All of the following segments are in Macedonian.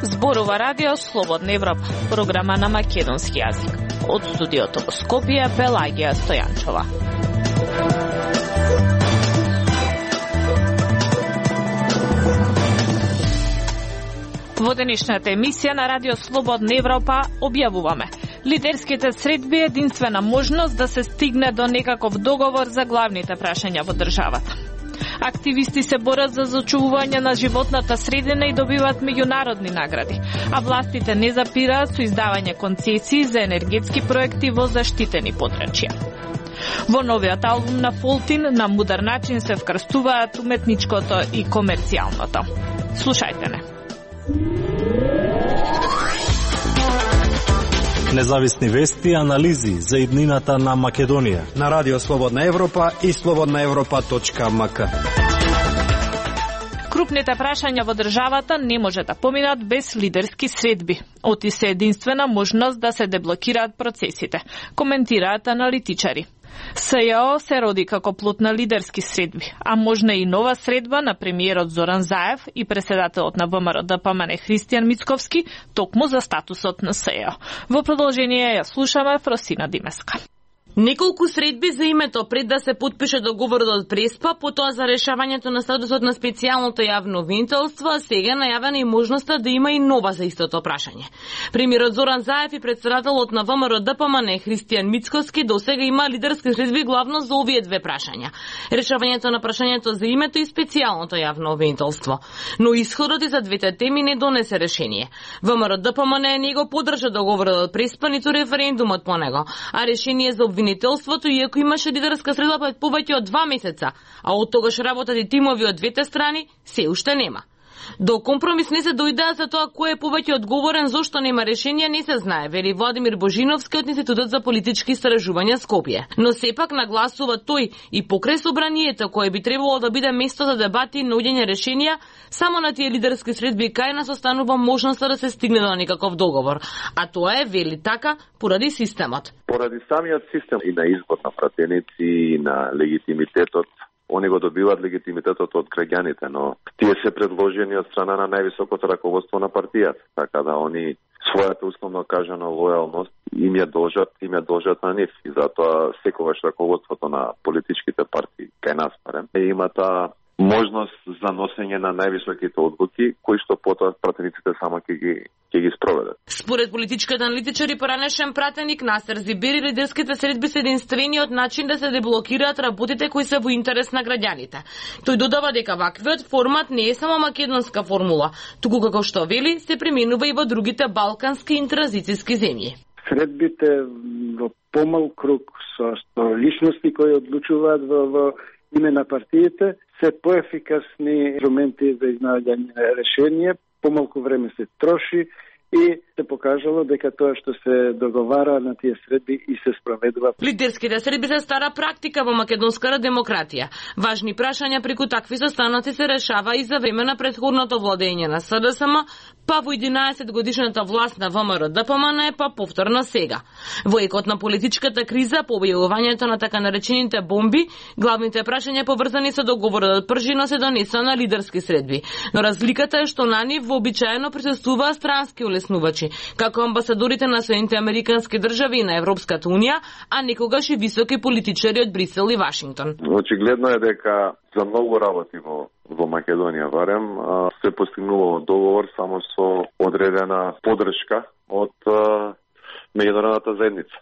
Зборува радио Слободна Европа, програма на македонски јазик. Од студиото во Скопје, Пелагија Стојанчова. Во денешната емисија на радио Слободна Европа објавуваме: лидерските средби е единствена можност да се стигне до некаков договор за главните прашања во државата. Активисти се борат за зачувување на животната средина и добиваат меѓународни награди, а властите не запираат со издавање концесии за енергетски проекти во заштитени подрачја. Во новиот албум на Фолтин на мудар начин се вкрстуваат уметничкото и комерцијалното. Слушајте не. Независни вести и анализи за иднината на Македонија на Радио Слободна Европа и slobodnaevropa.mk. Крупните прашања во државата не може да поминат без лидерски средби. Оти се единствена можност да се деблокираат процесите, коментираат аналитичари. СЈО се роди како плод на лидерски средби, а можна и нова средба на премиерот Зоран Заев и преседателот на ВМРО-ДПМН Христијан Мицковски токму за статусот на СЈО. Во продолжение ја слушаме Фросина Димеска. Неколку средби за името пред да се подпише договорот од Преспа, потоа за решавањето на статусот на специјалното јавно обвинителство, а сега најавена и можноста да има и нова за истото прашање. Премиерот Зоран Заев и председателот на ВМРО-ДПМН Христијан Мицковски досега има лидерски средби главно за овие две прашања: решавањето на прашањето за името и специјалното јавно обвинителство. Но исходот и за двете теми не донесе решение. ВМРО-ДПМН не го поддржа договорот од Преспа, ниту референдумот по него, а решение за обвинителството, иако имаше лидерска средба пред повеќе од 2 месеца, а од тогаш работат и тимови од двете страни, се уште нема. До компромис не се дојдеа за тоа кој е повеќе одговорен зошто нема решение не се знае, вели Владимир Божиновски од Институтот за политички истражувања Скопје. Но сепак нагласува тој и покрај собранието кое би требало да биде место за дебати и наоѓање решенија, само на тие лидерски средби кај нас останува можноста да се стигне до некаков договор. А тоа е, вели така, поради системот. Поради самиот систем и на избор на пратеници и на легитимитетот. Они го добиваат легитимитетот од граѓаните, но тие се предложени од страна на највисокото раководство на партијата, така да они својата условно кажана лојалност им ја должат на нив. И затоа секогаш раководството на политичките партии, кај нас барем, има таа можност за носење на највисоките одлуки, кои што потоа пратениците само ќе ги спроведат. Според политичките аналитичари, поранешен пратеник Насер Зибери, лидерските средби се единствениот начин да се деблокираат работите кои се во интерес на граѓаните. Тој додава дека ваквиот формат не е само македонска формула, туку како што вели се применува и во другите балкански и транзицијски земји. Средбите во помал круг со личности кои одлучуваат во име на партиите се поефикасни инструменти за изнаоѓање решение, помалку време се троши и се покажало дека тоа што се договара на тие средби и се спроведува. Лидерските средби се стара практика во македонската демократија. Важни прашања преку такви состаноци се решава и за време на претходното владење на СДСМ, па во 11 годишната власт на ВМРО-ДПМН, па повторно сега. Во екот на политичката криза, по објавувањето на така наречените бомби, главните прашања поврзани со договорот од Пржино се донесоа на лидерски средби. Но разликата е што на нив вообичаено присуствуваат странски улеснувачи, како амбасадорите на Соединените американски држави и на Европската унија, а некогаш и високи политичари од Брисел и Вашингтон. Очигледно е дека за многу работи во Македонија барем се постигнува договор само со одредена поддршка од меѓународната заедница.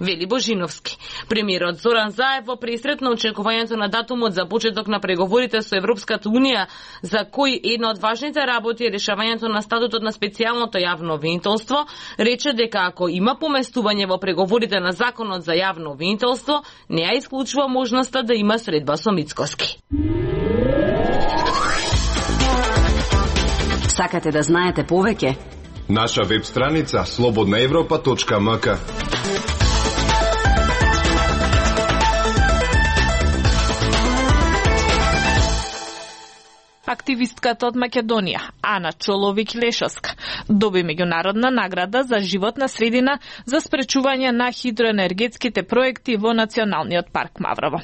Вели Божиновски. Премиерот Зоран Заев во пресрет на очекувањето на датумот за почеток на преговорите со Европската унија, за кој една од важните работи е решавањето на статутот на специјалното јавно обвинителство, рече дека ако има поместување во преговорите на законот за јавно обвинителство, не ја исклучува можноста да има средба со Мицковски. Сакате да знаете повеќе? Наша веб страница slobodnaevropa.mk. Активистката од Македонија, Ана Чоловик-Лешовска, доби меѓународна награда за животна средина за спречување на хидроенергетските проекти во Националниот парк Маврово.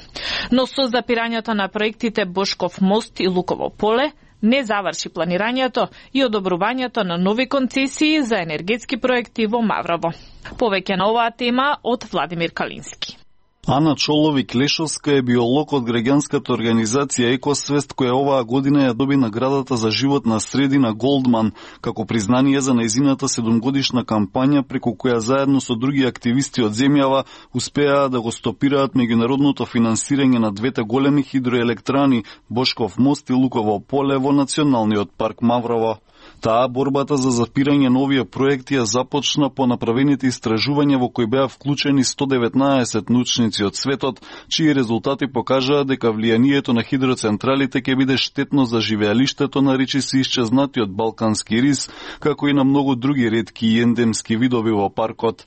Но со запирањето на проектите Бошков мост и Луково поле, не заврши планирањето и одобрувањето на нови концесии за енергетски проекти во Маврово. Повеќе на оваа тема од Владимир Калински. Ана Чоловик-Лешовска е биолог од граѓанската организација Екосвест, која оваа година ја доби наградата за животна средина Голдман, како признание за нејзината 7-годишна кампања преку која заедно со други активисти од земјава успеаа да го стопираат меѓународното финансирање на двете големи хидроелектрани Бошков мост и Луково поле во Националниот парк Маврово. Таа борбата за запирање на овие проекти ја започна по направените истражувања во кои беа вклучени 119 научници од светот, чии резултати покажаа дека влијанието на хидроцентралите ќе биде штетно за живеалиштето на речиси исчезнатиот балкански рис, како и на многу други ретки и ендемски видови во паркот.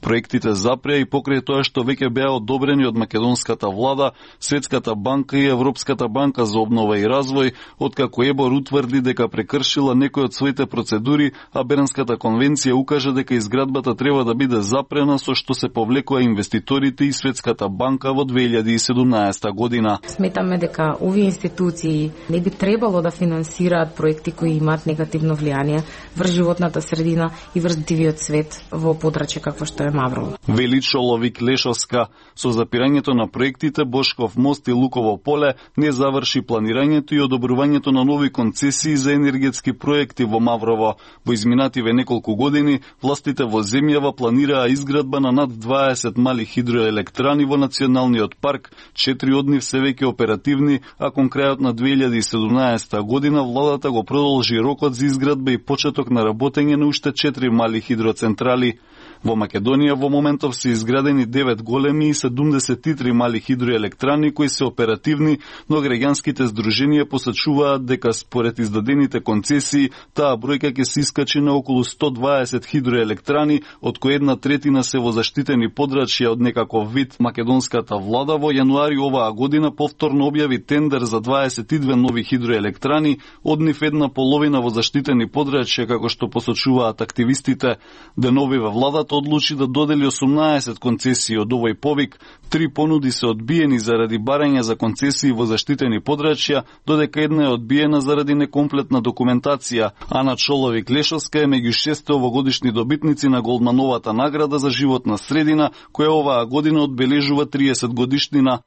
Проектите запреа и покрај тоа што веќе беа одобрени од македонската влада, Светската банка и Европската банка за обнова и развој, откако ЕБОР утврди дека прекршила некои од своите процедури, а Бернската конвенција укажа дека изградбата треба да биде запрена, со што се повлекоа инвеститорите и Светската банка во 2017 година. Сметаме дека овие институции не би требало да финансираат проекти кои имаат негативно влијание врз животната средина и врз дивиот свет во подрачје какво што е Маврово. Вели Чоловик-Лешовска, со запирањето на проектите Бошков мост и Луково поле не заврши планирањето и одобрувањето на нови концесии за енергетски проекти во Маврово. Во изминативе неколку години властите во земјава планираа изградба на над 20 мали хидроелектрани во Националниот парк, 4 од нив се веќе оперативни, а кон крајот на 2017 година владата го продолжи рокот за изградба и почеток на работење на уште 4 мали хидроцентрали. Во Македонија во моментов се изградени 9 големи и 73 мали хидроелектрани кои се оперативни, но граѓанските здруженија посочуваат дека според издадените концесии таа бројка ќе се искачи на околу 120 хидроелектрани, од кои 1/3 се во заштитени подрачја од некаков вид. Македонската влада во јануари оваа година повторно објави тендер за 22 нови хидроелектрани, од нив 1/2 во заштитени подрачја, како што посочуваат активистите. Деновиве владата одлучи да додели 18 концесии од овој повик, 3 понуди се одбиени заради барање за концесии во заштитени подрачја, додека една е одбиена заради некомплетна документација. Ана Чоловик-Лешовска е меѓу 6 овогодишни добитници на Голдмановата награда за животна средина, која оваа година одбележува 30 годишнина.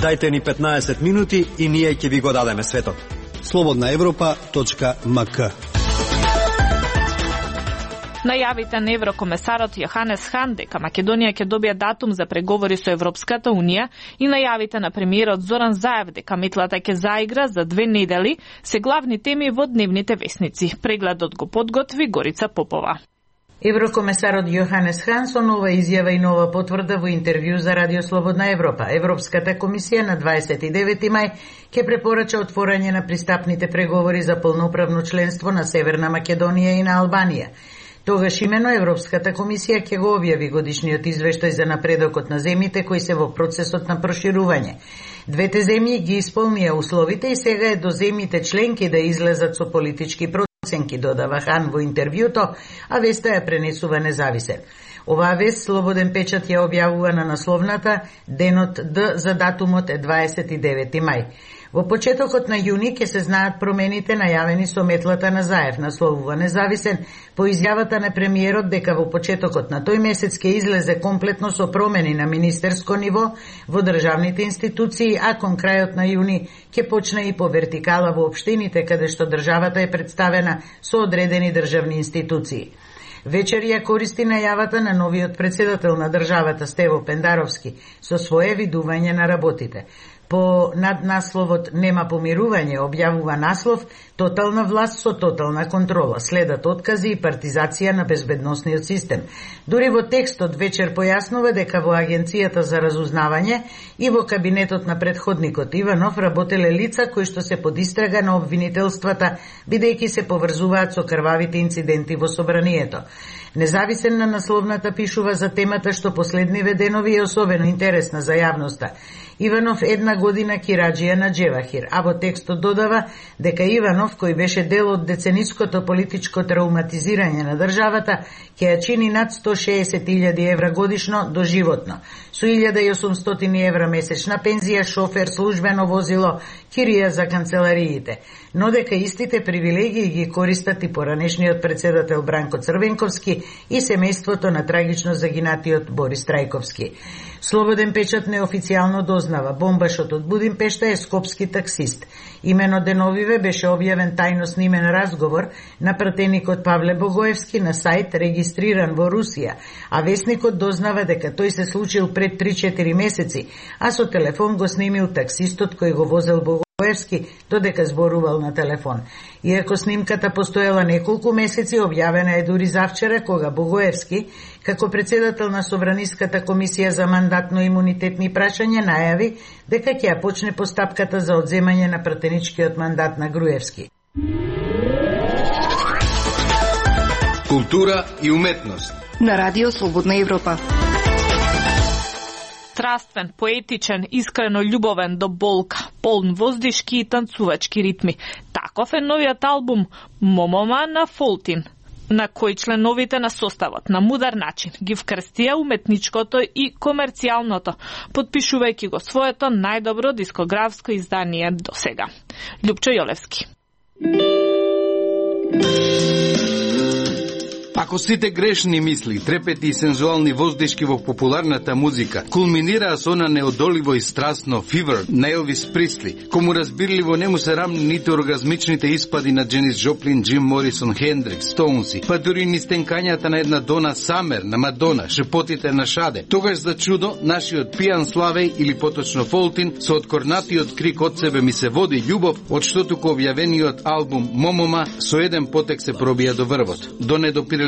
Дајте ни 15 минути и ние ќе ви го дадеме светот. slobodnaevropa.mk. Најавите на еврокомесарот Јоханес Хан дека Македонија ќе добие датум за преговори со Европската унија и најавите на премиерот Зоран Заев дека метлата ќе заигра за 2 недели се главни теми во дневните весници. Прегледот го подготви Горица Попова. Еврокомесарот Јоханес Хан со нова изјава и нова потврда во интервју за Радио Слободна Европа. Европската комисија на 29 мај ќе препорача отворање на пристапните преговори за полноправно членство на Северна Македонија и на Албанија. Тогаш имено Европската комисија ќе го објави годишниот извештај за напредокот на земјите кои се во процесот на проширување. Двете земји ги исполнија условите и сега е до земјите членки да излезат со политички проценки, додава Хан во интервјуто, а веста ја пренесува независен. Оваа вест Слободен печат ја објавува на насловната денот Д за датумот е 29 мај. Во почетокот на јуни ќе се знаат промените најавени со метлата на Заев, насловува независен, по изјавата на премиерот дека во почетокот на тој месец ќе излезе комплетно со промени на министерско ниво во државните институции, а кон крајот на јуни ќе почне и по вертикала во општините каде што државата е представена со одредени државни институции. Вечер ја користи најавата на новиот председател на државата Стево Пендаровски со свое видување на работите. По наднасловот «Нема помирување» објавува наслов «Тотална власт со тотална контрола». Следат откази и партизација на безбедносниот систем. Дури во текстот вечер појаснува дека во Агенцијата за разузнавање и во кабинетот на претходникот Иванов работеле лица кои што се под истрага на обвинителствата, бидејќи се поврзуваат со крвавите инциденти во собранието. Независен на насловната пишува за темата што последниве денови е особено интересна за јавноста. Иванов една година кираџија на Джевахир, а во текстот додава дека Иванов, кој беше дел од децениското политичко травматизирање на државата, ќе ја чини над 160.000 евра годишно доживотно, со 1.800 евра месечна пензија, шофер, службено возило, кирија за канцелариите, но дека истите привилегии ги користат и поранешниот председател Бранко Црвенковски и семејството на трагично загинатиот Борис Трајковски. Слободен печат неофицијално дознава, бомбашот од Будимпешта е скопски таксист. Имено деновиве беше објавен тајно снимен разговор на пратеникот Павле Богоевски на сајт регистриран во Русија, а весникот дознава дека тој се случил пред 3-4 месеци, а со телефон го снимил таксистот кој го возел Богоевски додека зборувал на телефон. Иако снимката постоела неколку месеци, објавена е дури завчера кога Богоевски, како председател на Собраниската комисија за мандатно-имунитетни прашања, најави дека ќе ја почне постапката за одземање на пратеничкиот мандат на Груевски. Култура и уметност на Радио Слободна Европа. Страствен, поетичен, искрено љубовен до болка, полн воздишки и танцувачки ритми. Таков е новиот албум Момома на Фолтин, на кој членовите на составот на мудар начин ги вкрстија уметничкото и комерцијалното, подпишувајќи го своето најдобро дискографско издание до сега. Љупчо Јолевски. Ако сите грешни мисли, трепети и сензуални воздишки во популарната музика кулминираа со она неодоливо и страстно Fever на Елвис Присли, кому разбирливо не му се рамни ниту оргазмичните испади на Дженис Джоплин, Джим Морисон, Хендрикс, Стоунси, па дури ни стенкањата на една Дона Самер, на Мадона, шепотите на Шаде. Тогаш за чудо, нашиот пијан Славеј, или поточно Фолтин, со откорнатиот крик од себе ми се води љубов, од што туку објавениот албум Момома со еден потек се пробија до врвот, до недопирливиот.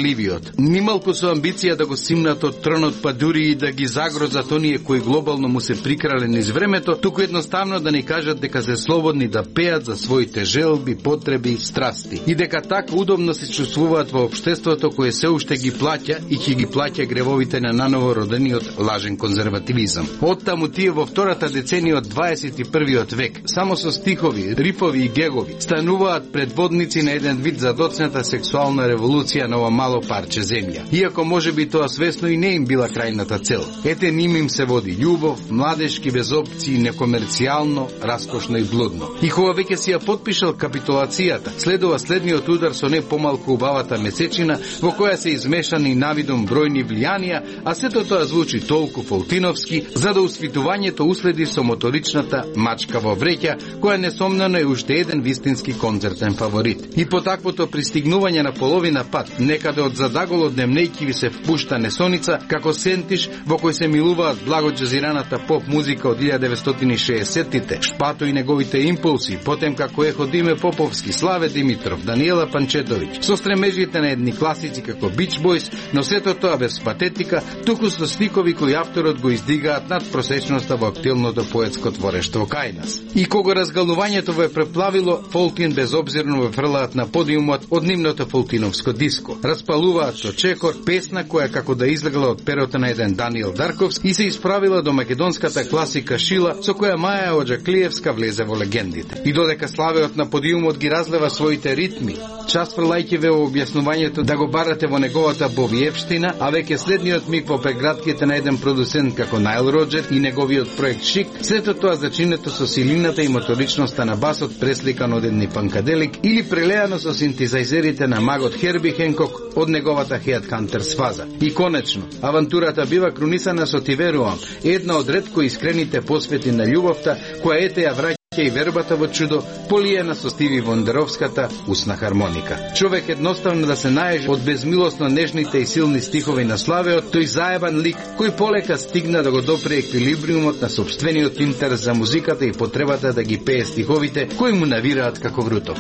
Нималку со амбиција да го симнат од тронот, па дури и да ги загрозат оние кои глобално му се прикрале низ времето, туку едноставно да ни кажат дека се слободни да пеат за своите желби, потреби и страсти. И дека така удобно се чувствуваат во општеството кое се уште ги плаќа и ќе ги плаќа гревовите на наново родениот лажен конзервативизам. Оттаму тие во втората деценија од 21. век, само со стихови, рифови и гегови, стануваат предводници на еден вид задоцната сексуална револуција на ова мало парче земја. Иако може би тоа свесно и не им била крајната цел. Ете ним им се води љубов, младешки без опции, некомерцијално, раскошно и блудно. И кога веќе си ја подпишал капитулацијата, следува следниот удар со не помалку убавата месечина, во која се измешани навидом бројни влијанија, а сето тоа звучи толку фолтиновски, за да усвитувањето уследи со моторичната мачка во вреќа, која несомнено е уште еден вистински концертен фаворит. И по таквото пристигнување на половина пат, некаде од задаголот демнејки ви се впушта несоница, како сентиш во кој се милуваат благо джазираната поп музика од 1960-тите, Шпато и неговите импулси, потем како ехо Диме Поповски, Славе Димитров, Даниела Панчетовиќ, со стремежите на едни класици како Beach Boys, но сето тоа без патетика, туку со стикови кои авторот го издигаат над просечноста во актилното поетско творештво кај нас. И кога разгалувањето ве преплавило, Фолтин безобзирно ве фрлаат на подиумот од нивното фолтиновско диско. Распалуваат со чекор, песна која како да излегла од перото на еден Даниел Дарковски и се исправила до македонската класика Шила, со која Маја Оџаклиевска влезе во легендите. И додека Славеот на подиумот ги разлева своите ритми, час фрлајќи ве во објаснувањето да го барате во неговата бовиевштина, а веќе следниот миг во прегратките на еден продуцент како Найл Роджер и неговиот проект Шик, сето тоа зачинето со силината и моторичноста на басот пресликан од едни панкаделик или прелеано со синтезајзерите на магот Херби Хенкок од неговата Headhunters фаза. И конечно, авантурата бива крунисана со Ти верувам, една од ретко искрените посвети на љубовта, која ете ја враќа и вербата во чудо, полиена со Стиви Вондеровската усна хармоника. Човек едноставно да се наежи од безмилосно нежните и силни стихови на Славеот, тој заебан лик кој полека стигна да го допре еквилибриумот на собствениот интерес за музиката и потребата да ги пее стиховите кои му навираат како вруток.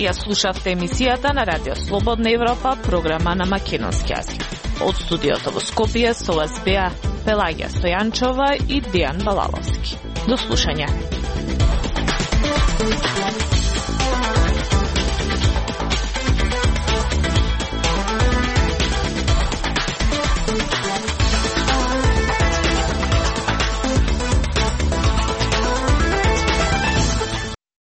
Ја слушавте емисијата на Радио Слободна Европа, програма на македонски јазик. Од студиото во Скопје со вас беа Пелагија Стојанчова и Дејан Балаловски. До слушање.